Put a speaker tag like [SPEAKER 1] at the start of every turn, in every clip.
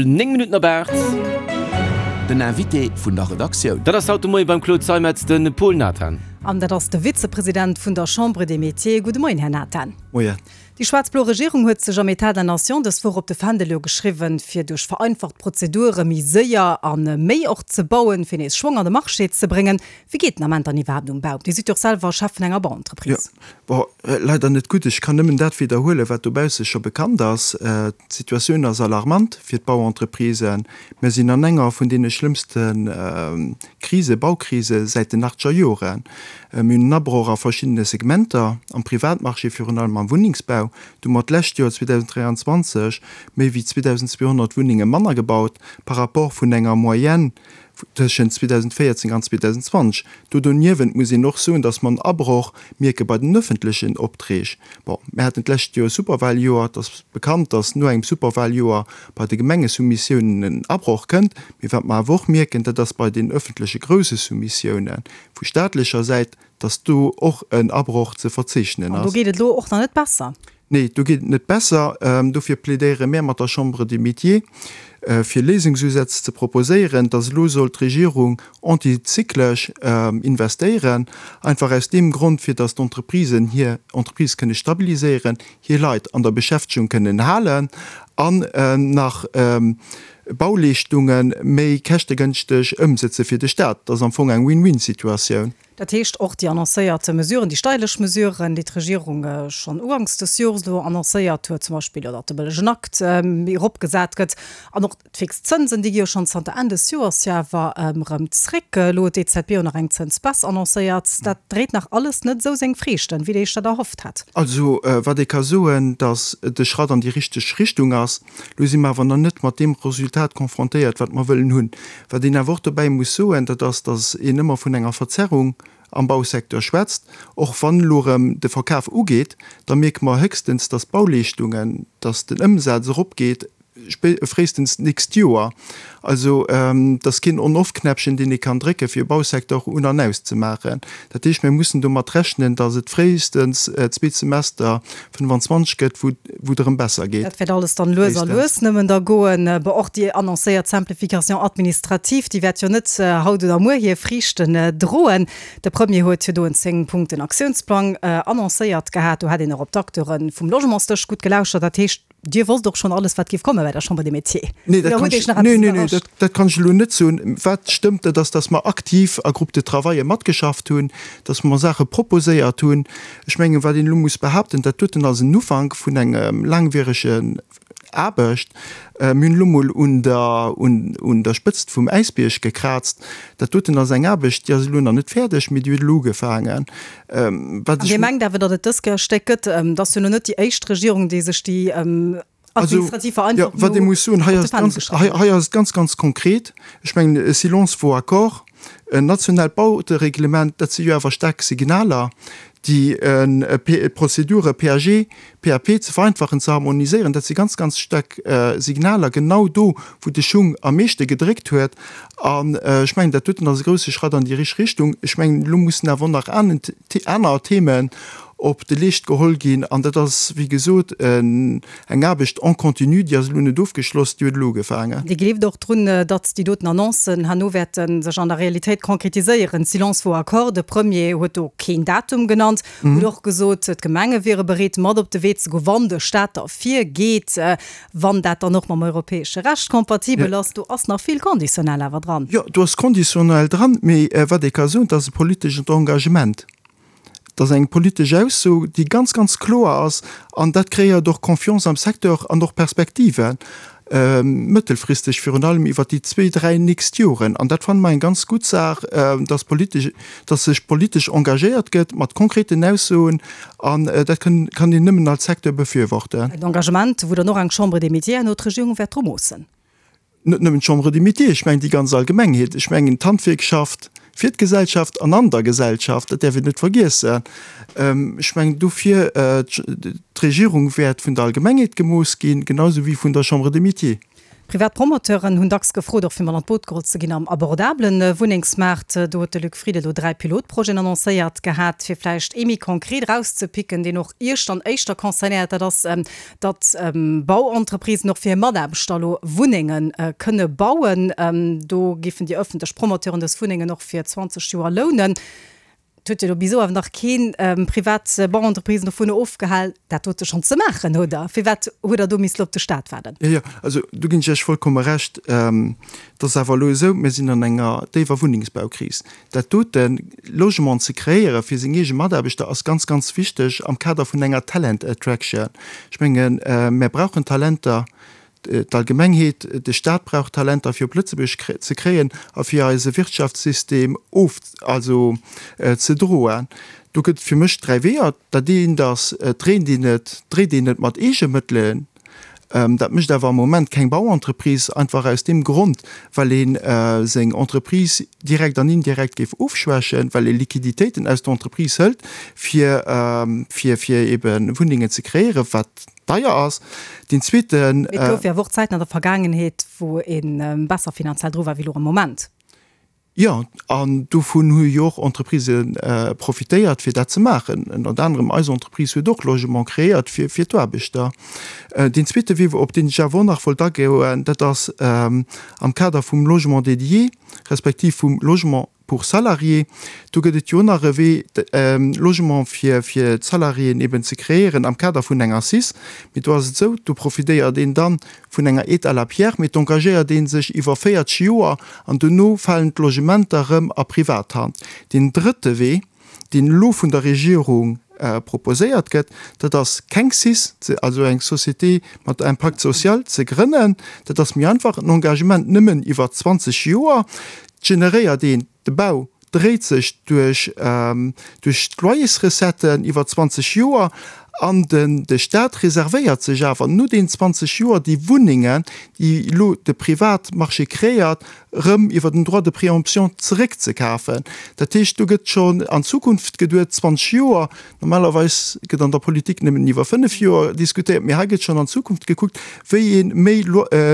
[SPEAKER 1] 9 Minutten op 8.
[SPEAKER 2] Den Invité vun der Redaktioun.
[SPEAKER 1] Dat ass haut de Moie beim Claude Zeimetz de Paul Nathan.
[SPEAKER 3] An dat ass de Vizepresident vun der Chambre des Métiers. Gudde Moien, Här Nathan.
[SPEAKER 4] Moien.
[SPEAKER 3] Déi schwaarz-blo Regierung huet sech am Etat de la Nation dës Woch op de Fändel jo geschriwwen, fir duerch vereinfacht Prozedure méi séier a méi och ze bauen, fir nees Schwong an de Marché ze bréngen. Wéi geet den Ament dann iwwerhaapt um Bau? Dir sidd jo och selwer Chef vun enger Bauentreprise.
[SPEAKER 4] Jo, bon, leider net gutt. Ech kann nëmmen dat widderhuelen, wat dobausse scho bekannt ass. D'Situatioun ass alarmant fir d'Bauentreprisen. Mir sinn an enger vun deene schlëmmste Krise, Baukrise säit den achtzeger Joren. Mir hunn en Abroch a verschiddene Segmenter, am Privatmarché, virun allem am Wunnengsbau. Do hu mer d'lescht Joer, 2023, méi wéi 2.200 Wunnenge manner gebaut par rapport vun enger Moyenne tëschent 2014 an 2020. Do doniewent muss een och soen, datt mer en Abroch mierke bei den öffentlechen Opträg. Bon, mir haten d'lescht Joer e Superwahljoer. Et ass bekannt, datt no engem Superwahljoer bei de Gemengesoumissiounen en Abroch kënnt. Mee wat mer awer och mierken, dat ass bei den öffentleche grousse Soumissiounen vu staatlecher Säit, datt do och en Abroch ze verzeechnen
[SPEAKER 3] ass. An do geet et elo och nach net besser.
[SPEAKER 4] Nee, do geet et net besser. Dofir plädéiere mär mat der Chambre des Métiers, fir Léisungsusätz ze proposéieren, dass elo soll d'Regierung antizyklesch investéieren, einfach aus deem Grond, fir dass d'Entreprisen hir Entreprise kënne stabiliséieren, hir Leit an der Beschäftegung kënnen halen an nach Bauleeschtunge méi käschtegënschteg ëmsëtze fir de Stat. Dat ass am Fong eng Win-win-Situatioun.
[SPEAKER 3] Dat heescht, och déi annoncéiert Mesuren, déi steierlech Mesuren, déi d'Regierung schonn uganks des Jores elo annoncéiert huet, zum Beispill elo, datt de bëllegen Akt méi eropgesat gëtt an och d'fix Zënsen, déi gi jo schonn zanter Enn des Joers jo awer erëm zréck. Elo huet d'EZB och nach eng Zënsbaisse annoncéiert. Dat dréit nach alles net esou seng Friichten, wéi Dir Iech dat erhofft hat.
[SPEAKER 4] Also, wat ee ka soen, datt et e Schratt an déi richteg Richtung ass. Elo si mer awer nach net mat deem Resultat confrontéiert, wat mer wëllen hunn. Wat een awer och dobäi muss soen, dat ass, datt een ëmmer vun enger Verzerrung am Bausecteur schwätzt. Och wann elo erëm de Verkaf ugeet, da mierke mer héchstens, datt d'Bauleeschtungen, datt den Ëmsaz eropgeet, fréistens d'nächst Joer. Also et ass keen On-Off-Knäppchen, deen ee kann drécken, fir e Bausecteur un an auszemaachen. Dat heescht, mir mussen domat rechnen, datt et fréistens d'zweet Semester 25 gëtt, wou et erëm besser geet.
[SPEAKER 3] Dat wäert alles dann lues a lues nëmmen da goen. Bon, och déi annoncéiert Simplification administrative, déi wäert jo net haut oder muer hir Friichten droen. De Premier huet jo do en 10 Punkten Aktiounsplang annoncéiert gehat. Do hätt een och op d'Acteure vum Logementsdësch gutt gelauschert. Dat heescht, Dir wosst och schonn alles, wat géif komme bei der Chambre des Métiers?
[SPEAKER 4] Nee, dat kann ech, nee, nee, nee, dat, dat kann ech elo net soen. Wat stëmmt, dat ass, dass mer aktiv a Groupes de travaille matgeschafft hunn, dass mer Saache proposéiert hunn. Ech mengen, wat een elo muss behaupten, dat doten ass en Ufank vun engem laangwieregen Aarbecht. Mir hunn elo mol un der, un, un der Spëtzt vum Äisbierg gekraazt. Dat doten ass eng Aarbecht, déi ass elo nach net fäerdeg, mee déi huet elo ugefaangen.
[SPEAKER 3] Wat ech. Dir mengt awer, datt et dës Kéier Stéck gëtt? Et ass jo elo net déi éischt Regierung, déi sech déi administrativ Vereinfachung
[SPEAKER 4] elo op de Fändel geschriwwen huet. Hei ass et ganz, ganz konkret. Ech mengen, e Silence vaut accord. En nationaalt Bautereglement, dat si jo awer staark Signaler, déi d'Prozedure PAG, PAP ze vereinfachen, ze harmoniséieren. Dat si ganz, ganz staark Signaler, genau do, wou de Schung am meeschte gedréckt huet. An ech mengen, dat doten ass e grouse Schratt an déi richteg Richtung. Ech mengen, elo mussen awer och nach aner Themen op de Leescht geholl ginn. An dat ass, wéi gesot, eng Aarbecht en continu, déi ass elo net ofgeschloss, déi huet elo ugefaangen.
[SPEAKER 3] Dir gleeft och drun, datt déi doten Annoncen herno wäerte sech an der Realitéit konkretiséieren? Silence vaut accord, de Premier huet do keen Datum genannt, huet och gesot, d'Gemenge wiere bereet, mat op de Wee ze goen, wann de Staat derfir geet. Wann dat dann och mam europäesche Recht kompatibel ass, do ass nach vill conditionnel awer dran.
[SPEAKER 4] Jo, do ass conditionnel dran, mee wat ee ka soen, dat ass e politeschent Engagement. Dat ass eng politesch Ausso, déi ganz, ganz kloer ass an dat kreéiert och Confiance am Secteur an och Perspektiven, mëttelfristeg virun allem iwwert déi zwee, dräi nächst Joren. An dat fanne mer eng ganz gutt Saach, dass politesch, dass sech politesch engagéiert gëtt mat konkreten Aussoen An dat kann een nëmmen als Secteur befürworten.
[SPEAKER 3] En Engagement, wou dann och eng Chambre des Métiers herno d'Regierung wäert dru moossen.
[SPEAKER 4] Net nëmmen d'Chambre des Métiers, ech mengen déi ganz Allgemengheet. Ech mengen d'Handwierkschaft fir d'Gesellschaft an an der Gesellschaft, dat däerf een net vergiessen. Ech mengen dofir, d'Regierung wäert vun der Allgemengheet gemooss ginn, genau esou wéi vun der Chambre des Métiers.
[SPEAKER 3] Privat Promoteuren hunn dacks gefrot, och fir mat an d'Boot geholl ze ginn am abordabele Wunnengsmaart. Do huet de Luc Frieden elo 3 Pilotprojeten annoncéiert gehat. Fir vläicht ee méi konkret erauszepicken, deen och Iech dann éischter concernéiert, dat ass, datt Bauentreprisen och fir hir Mataarbechter elo Wunnenge kënne bauen. Do géifen déi ëffentlech Promoteuren dës Wunnengen och fir 20 Joer lounen. Et huet jo elo bis elo awer nach keen privat Bauentreprise dovun ofgehal, dat dote schonn ze maachen, oder? Firwat huet Der do misste op de Staat waarden?
[SPEAKER 4] Jo, jo, also do ginn ech Iech vollkomme Recht. Et ass awer elo esou, mir sinn an enger déiwer Wunnengsbaukris. Dat doten, Logement ze kreéiere fir seng eege Mataarbechter, ass ganz, ganz wichteg am Kader vun enger Talent Attraction. Ech mengen, mär brauchen Talenter. D'Allgemengheet, de Staat brauch Talenter fir op Lëtzebuerg ze kréien a fir eise Wirtschaftssystem of, also ze droen. Do gëtt et fir mech 3 Weeër. Dat eent ass, et dréint een et, dréit een et mat eege Mëttelen. Dat mécht awer am Moment keng Bauentreprise, einfach aus deem Grond, well ee seng Entreprise direkt an indirekt géif ofschwächen, well ee Liquiditéiten aus der Entreprise hëlt, fir, fir, fir ebe Wunnengen ze kreéieren, wat deier ass. Deen zweeten.
[SPEAKER 3] Mee et gouf jo awer och Zäiten an der Vergaangenheet, wou ee besser finanziell dru war wéi elo am Moment.
[SPEAKER 4] Jo, an dovun hu jo och Entreprisë profitéiert, fir dat ze maachen. Ënnert anerem eis Entreprise huet och Logement kreéiert fir d'Aarbechter. Deen zweete Wee, op deen ech awer och nach wollt agoen, dat ass am Kader vum Logement dédié, respektiv vum Logement pour salariés, do gëtt et jo nach e Wee, Logement fir fir d'Salariéen eben ze kreéieren am Kader vun enger cis. Mee do ass et esou, do profitéiert een dann vun enger Aide à la pierre, mee d'engagéiert ee sech iwwer 40 Joer an dono falen d'Logementer erëm a Privathand. Deen drëtte Wee, deen elo vun der Regierung proposéiert gëtt, dat ass keng cis, also eng Société mat Impact social ze grënnen. Dat ass méi einfach, en Engagement nëmmen iwwer 20 Joer. Generéiert een, de Bau dréit sech duerch duerch d'Loyersrecetten iwwer 20 Joer an den de Staat reservéiert sech awer no deenen 20 Joer déi Wunnengen, déi elo de Privatmarché kreéiert, erëm iwwer den Droit de préemption zeréckzekafen. Dat heescht, do gëtt schonn an d'Zukunft geduet, 20 Joer. Normalerweis gëtt an der Politik nëmmen iwwer 5 Joer diskutéiert, mee hei gëtt schonn an d'Zukunft gekuckt, wéi ee méi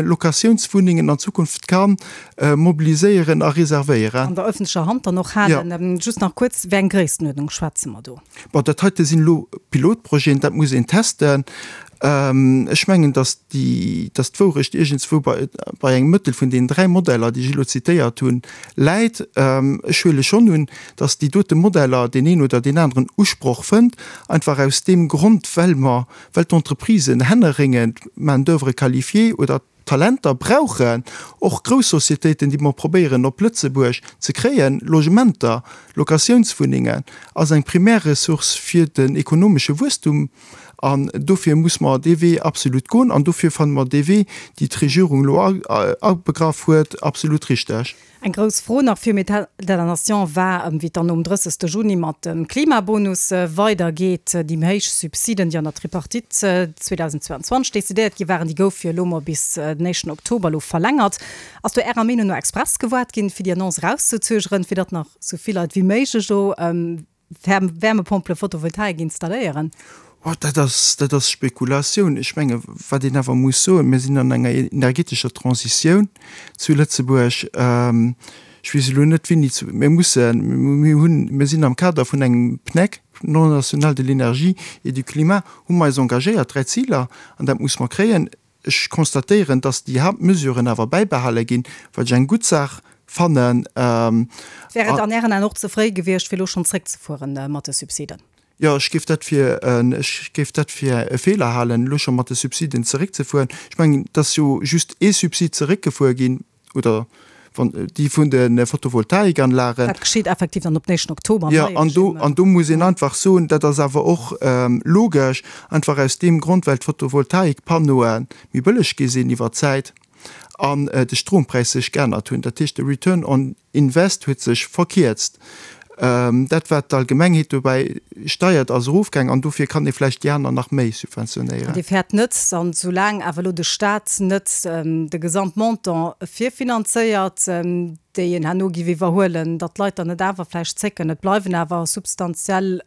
[SPEAKER 4] Locatiounswunnengen an Zukunft ka mobiliséieren a reservéieren.
[SPEAKER 3] An der öffentlecher Hand dann och halen. Just nach kuerz, Wéi eng Gréisstenuerdnung schwätze mer do?
[SPEAKER 4] Bon, dat heite sinn elo Pilotprojeten, dat muss een testen. Ech mengen, datt déi, datt d'Wourecht iergendswou bei, bei engem Mëttel vun deenen 3 Modeller, déi ech elo zitéiert hunn, läit. Ech huele schonn un, datt déi dote Modeller deen een oder deen aneren Usproch fënnt, einfach aus deem Grond, well mer, well d'Entreprisen hänneréngend Main d'oeuvre qualifiée oder Talenter brauchen, och grouss Societéiten, déi mer probéieren op Lëtzebuerg ze kréien. Logementer, Locatiounswunnengen ass eng primär Ressource fir den ekonomesche Wuesstum an dofir muss mer dee Wee absolut goen an dofir fanne mer dee Wee, déi d'Regierung elo abegraff huet, absolut richteg.
[SPEAKER 3] Eng grouss Fro nach virum État de la Nation war, wéi et dann nom 30. Juni mat dem Klimabonus weidergeet. Déi méi héich Subsiden, déi an der Tripartite 2022 decidéiert gi waren, déi goufe jo elo mol bis den éischten Oktober elo verlängert. Ass do Ärer Meenung no express gewaart ginn, fir déi Annonce erauszezögeren, fir datt nach sou vill Leit wéi méiglech do Wärmepompele, Photovoltaik installéieren?
[SPEAKER 4] Oh, dat ass, dat ass Spekulatioun. Ech menge wat een awer muss soen, mir sinn an enger energetescher Transitioun zu Lëtzebuerg. Ech weess elo net wéini zu, mir mussen, mir hunn, mir sinn am Kader vun engem PNEC, Plan national de l'énergie et du climat, hu mer eis engagéiert, 3 Ziler, an dat muss mer kréien. Ech constatéieren, dass déi Haaptmesuren awer bäibehale ginn, wat ech eng gutt Saach fannen.
[SPEAKER 3] Wär et an Ären Aen och ze fréi gewiescht, fir elo schonn zréckzefuere mat de Subsiden?
[SPEAKER 4] Jo, ech géif dat fir, ech géif dat fir e Feeler halen, elo scho mat de Subsiden zeréckzefueren. Ech mengen, et ass jo just ee Subsid zeréckgefuer ginn, oder wann déi vun de Photovoltaikanlagen.
[SPEAKER 3] Dat geschitt effektiv dann op den éischten Oktober
[SPEAKER 4] am neie Regime. Jo, an do muss een einfach soen, dat ass awer och logesch, einfach aus deem Grond, well d'Photovoltaikpannoe méi bëlleg gi sinn iwwer d'Zäit an de Strompräis sech geännert hunn. Dat heescht, de Return on Invest huet sech verkierzt. Dat wat d'Allgemengheet dobäi steiert ass erofgaang an dofir kann ee vläicht déi aner nach méi subventionéieren.
[SPEAKER 3] Dir fäert net, an soulaang awer elo de Staat net de Gesamtmontant virfinanzéiert, déi een herno giff iwwerhuelen, datt d'Leit dann net awer vläicht zécken. Et bleiwen awer substantiell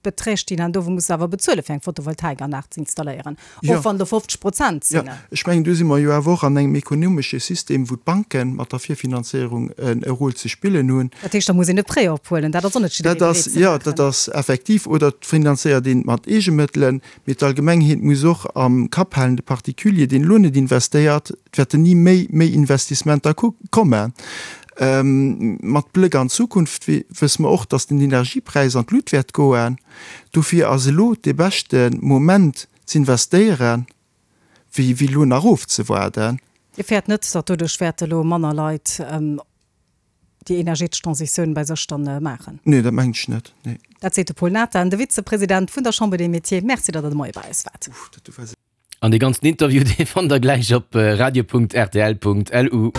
[SPEAKER 3] Beträg, déi een herno muss awer bezuele fir eng Photovoltaikanlag ze installéieren, och wann do 50 Prozent
[SPEAKER 4] sinn. Jo, ech mengen, do si mer jo awer och an engem ekonomesche System, wou d'Banke mat der Virfinanzéierung e Rôle ze spillen hunn.
[SPEAKER 3] Dat heescht, da muss een e Prêt ophuelen. Dat ass och net jidderee
[SPEAKER 4] bereet ze maachen. Jo, dat ass effektiv. Oder et finanzéiert een et mat Eegemëttelen. Mee d'Allgemengheet muss och am Kapp halen, de Particulier, deen elo net investéiert, et wäerten ni méi méi Investissementer kommen. Mat Bléck an d'Zukunft wësse mer och, datt den Energiepräis an d'Lut wäert goen. Dofir ass elo dee beschte Moment z'investéieren, wéi elo nach ofzewaarden.
[SPEAKER 3] Dir fäert net, datt doduerch wäerte elo manner Leit déi energetesch Transitioun bei sech dann maachen?
[SPEAKER 4] Nee, dat mengen ech net, nee.
[SPEAKER 3] Dat seet de Paul Nathan, de Vizepresident vun der Chambre des Métiers. Merci, datt Der de Moie bei eis waart.
[SPEAKER 1] An dee ganzen Interview, dee fannt der gläich op radio.rtl.lu.